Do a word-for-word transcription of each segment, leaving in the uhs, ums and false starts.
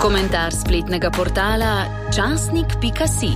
Komentar spletnega portala časnik pika si.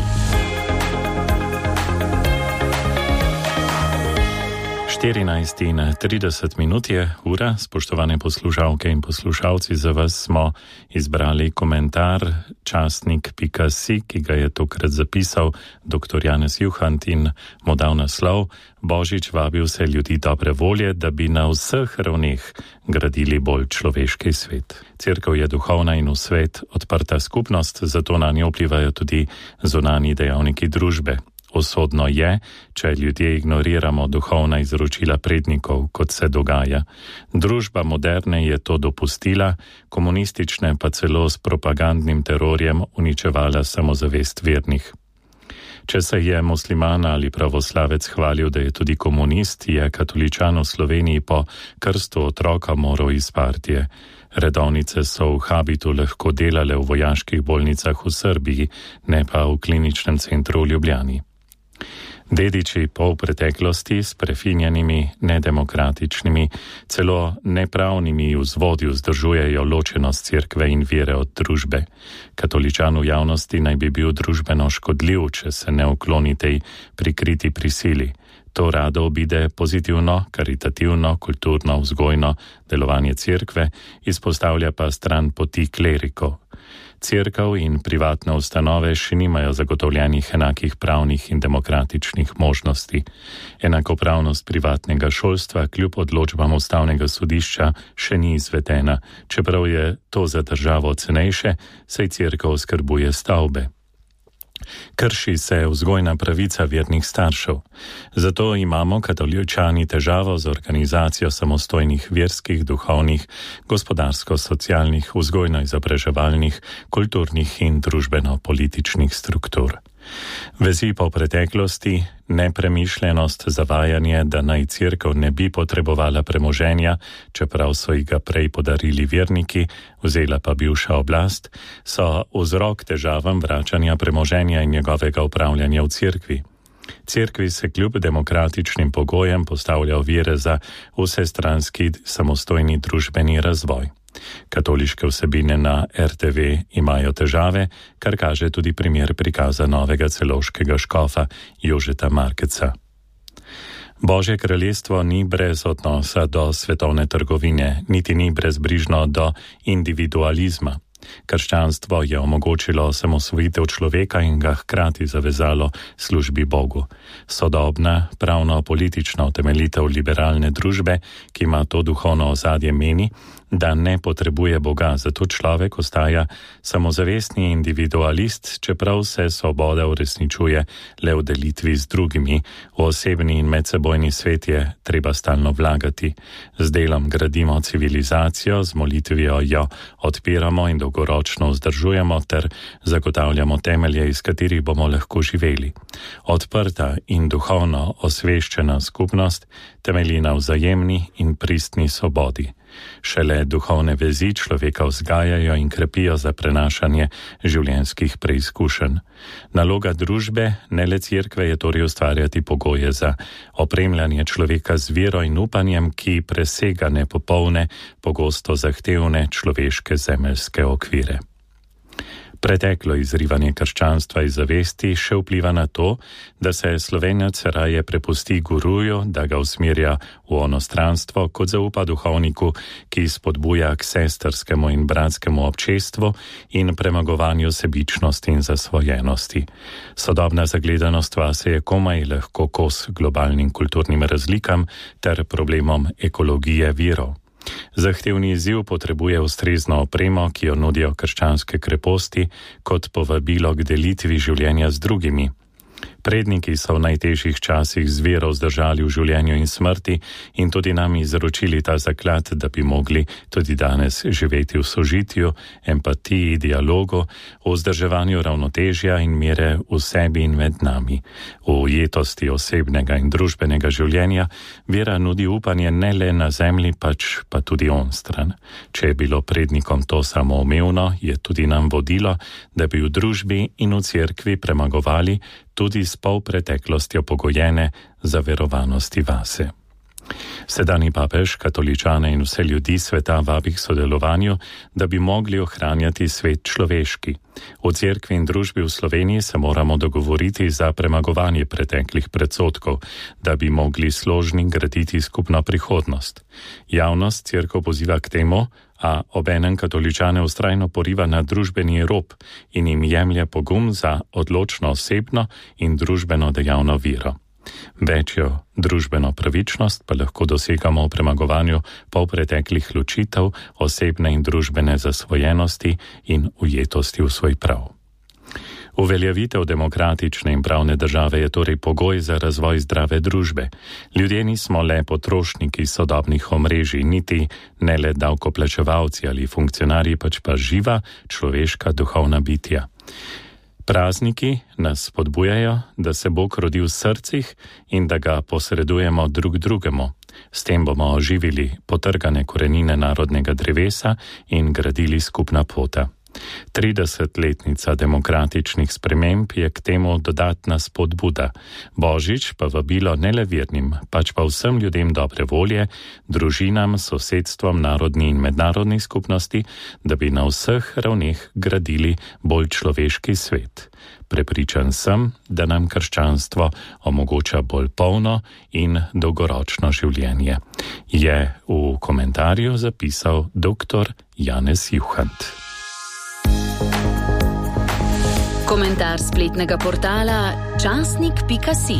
štirinajst in trideset minut je ura, spoštovane poslušalke in poslušalci, za vas smo izbrali komentar časnik pika si, ki ga je tokrat zapisal dr. Janez Juhant in mu dal naslov: Božič vabi vse ljudi dobre volje, da bi na vseh ravneh gradili bolj človeški svet. Cerkev je duhovna in v svet odprta skupnost, zato na njo vplivajo tudi zunanji dejavniki družbe. Usodno je, če ljudje ignoriramo duhovna izročila prednikov, kot se dogaja. Družba moderne je to dopustila, komunistične pa celo s propagandnim terorjem uničevala samozavest vernih. Če se je musliman ali pravoslavec hvalil, da je tudi komunist, je katoličan v Sloveniji po krstu otroka moral iz partije. Redovnice so v habitu lahko delale v vojaških bolnicah v Srbiji, ne pa v kliničnem centru v Ljubljani. Dediči pol preteklosti s prefinjenimi, nedemokratičnimi, celo nepravnimi vzvodi vzdržujejo ločenost cerkve in vere od družbe. Katoličan v javnosti naj bi bil družbeno škodljiv, če se ne ukloni tej prikriti prisili. To rado obide pozitivno, karitativno, kulturno, vzgojno delovanje cerkve, izpostavlja pa stran poti klerikov. Cerkev in privatne ustanove še nimajo zagotovljenih enakih pravnih in demokratičnih možnosti. Enakopravnost privatnega šolstva kljub odločbam ustavnega sodišča še ni izvedena, čeprav je to za državo cenejše, saj cerkev skrbuje stavbe. Krši se vzgojna pravica vernih staršev. Zato imamo katoličani težavo z organizacijo samostojnih verskih, duhovnih, gospodarsko-socialnih, vzgojno-izobraževalnih, kulturnih in družbeno-političnih struktur. Vezi po preteklosti, nepremišljenost, zavajanje, da naj cerkev ne bi potrebovala premoženja, čeprav so ji ga prej podarili verniki, vzela pa bivša oblast, so vzrok težavam vračanja premoženja in njegovega upravljanja v cerkvi. Cerkvi se kljub demokratičnim pogojem postavlja ovire za vsestranski samostojni družbeni razvoj. Katoliške vsebine na er te ve imajo težave, kar kaže tudi primer prikaza novega celovškega škofa Jožeta Markeca. Božje kraljestvo ni brez odnosa do svetovne trgovine, niti ni brezbrižno do individualizma. Krščanstvo je omogočilo osamosvojitev človeka in ga hkrati zavezalo službi Bogu. Sodobna, pravno-politična utemeljitev liberalne družbe, ki ima to duhovno ozadje, meni, da ne potrebuje Boga, zato človek ostaja samozavestni individualist, čeprav se svoboda uresničuje le v delitvi z drugimi. V osebni in medsebojni svet je treba stalno vlagati. Z delom gradimo civilizacijo, z molitvijo jo odpiramo in dolgoročno vzdržujemo ter zagotavljamo temelje, iz katerih bomo lahko živeli. Odprta in duhovno osveščena skupnost temelji na vzajemni in pristni svobodi. Šele duhovne vezi človeka vzgajajo in krepijo za prenašanje življenjskih preizkušenj. Naloga družbe, ne le cerkve, je torej ustvarjati pogoje za opremljanje človeka z vero in upanjem, ki presega nepopolne, pogosto zahtevne človeške zemeljske okvire. Preteklo izrivanje krščanstva iz zavesti še vpliva na to, da se Slovenec raje prepusti guruju, da ga usmerja v onostranstvo, kot zaupa duhovniku, ki spodbuja k sestrskemu in bratskemu občestvu in premagovanju sebičnosti in zasvojenosti. Sodobna zagledanost vase je komaj lahko kos globalnim kulturnim razlikam ter problemom ekologije virov. Zahtevni izziv potrebuje ustrezno opremo, ki jo nudijo krščanske kreposti, kot povabilo k delitvi življenja z drugimi. Predniki so v najtežjih časih z vero vzdržali v življenju in smrti in tudi nam izročili ta zaklad, da bi mogli tudi danes živeti v sožitju, empatiji, dialogu, v vzdrževanju ravnotežja in mere v sebi in med nami. V ujetosti osebnega in družbenega življenja vera nudi upanje ne le na zemlji, pač pa tudi onstran. Če je bilo prednikom to samoumevno, je tudi nam vodilo, da bi v družbi in v cerkvi premagovali tudi s polpreteklostjo pogojene zaverovanosti vase. Sedani papež katoličane in vse ljudi sveta vabi k sodelovanju, da bi mogli ohranjati svet človeški. V cerkvi in družbi v Sloveniji se moramo dogovoriti za premagovanje preteklih predsodkov, da bi mogli složni graditi skupno prihodnost. Javnost cerkev poziva k temu, a obenem katoličane vztrajno poriva na družbeni rob in jim jemlje pogum za odločno osebno in družbeno dejavno vero. Večjo družbeno pravičnost pa lahko dosegamo v premagovanju polpreteklih ločitev, osebne in družbene zasvojenosti in ujetosti v svoj prav. Uveljavitev demokratične in pravne države je torej pogoj za razvoj zdrave družbe. Ljudje nismo le potrošniki sodobnih omrežij, niti ne le davkoplačevalci ali funkcionarji, pač pa živa človeška duhovna bitja. Prazniki nas spodbujajo, da se Bog rodi v srcih in da ga posredujemo drug drugemu. S tem bomo oživili potrgane korenine narodnega drevesa in gradili skupna pota. tridesetletnica demokratičnih sprememb je k temu dodatna spodbuda. Božič pa vabilo ne le vernim, pač pa vsem ljudem dobre volje, družinam, sosedstvom, narodni in mednarodni skupnosti, da bi na vseh ravneh gradili bolj človeški svet. Prepričan sem, da nam krščanstvo omogoča bolj polno in dolgoročno življenje, je v komentarju zapisal doktor Janez Juhant. Komentar spletnega portala časnik pika si.